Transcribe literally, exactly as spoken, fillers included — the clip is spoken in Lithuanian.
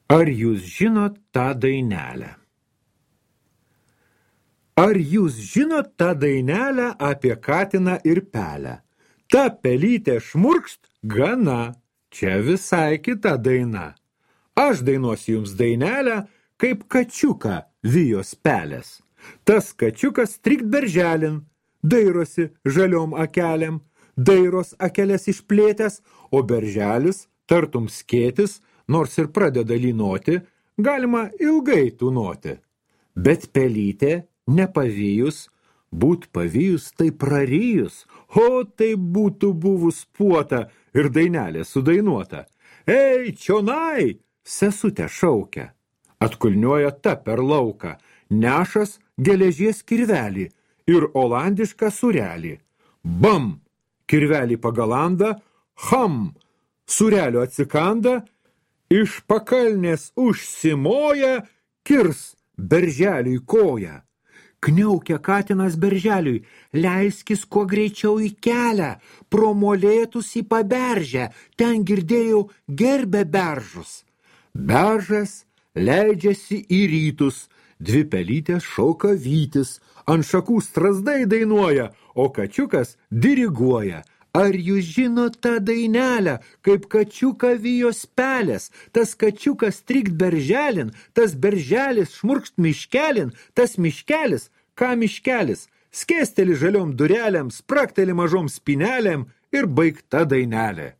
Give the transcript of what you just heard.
Ar jūs žinot tą dainelę? Ar jūs žinot tą dainelę apie katiną ir pelę? Ta pelytė šmurkšt gana, čia visai kita daina. Aš dainuosiu jums dainelę, kaip kačiuką vijos pelės. Tas kačiukas strikt berželin, dairosi žaliom akelėm, dairos akelės išplėtęs, o berželis, tartum skėtis, nors ir pradeda lynoti, galima ilgai tūnoti. Bet pelytė nepavijus, būt pavijus tai prarijus, o tai būtų buvus puota ir dainelė sudainuota. Ei, čionai, sesutė šaukia, atkulniuoja ta per lauką, nešas geležies kirvelį ir olandišką surelį. Bam, kirvelį pagalanda, ham, surelio atsikanda, iš pakalnės užsimoja, kirs berželiui koją. Kniaukia katinas berželiui, leiskis kuo greičiau į kelią, pro molėtus į paberžę, ten girdėjau gerbė beržus. Beržas leidžiasi į rytus, dvi pelytės šauka vytis, ant šakų strazdai dainuoja, o kačiukas diriguoja. Ar jūs žinot tą dainelę, kaip kačiuką vijos pelės? Tas kačiukas strikt berželin, tas berželis šmurkšt miškelin, tas miškelis, ką miškelis, skėsteli žaliom durelėm, sprakteli mažom spinelėm ir baigta dainelė.